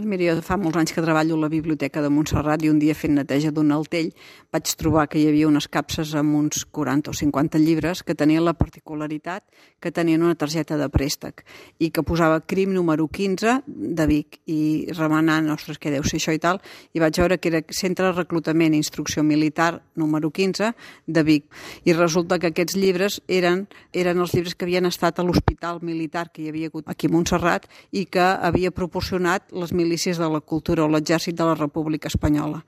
Mira, jo fa molts anys que treballo a la Biblioteca de Montserrat i un dia fent neteja d'un altell vaig trobar que hi havia unes capses amb uns 40 o 50 llibres que tenien la particularitat que tenien una targeta de préstec i que posava CRIM número 15 de Vic i remenant, ostres, què deu ser això i tal, i vaig veure que era Centre de Reclutament i Instrucció Militar número 15 de Vic. I resulta que aquests llibres eren els llibres que havien estat a l'hospital militar que hi havia hagut aquí a Montserrat i que havia proporcionat les milícies de la cultura o l'exèrcit de la República Espanyola.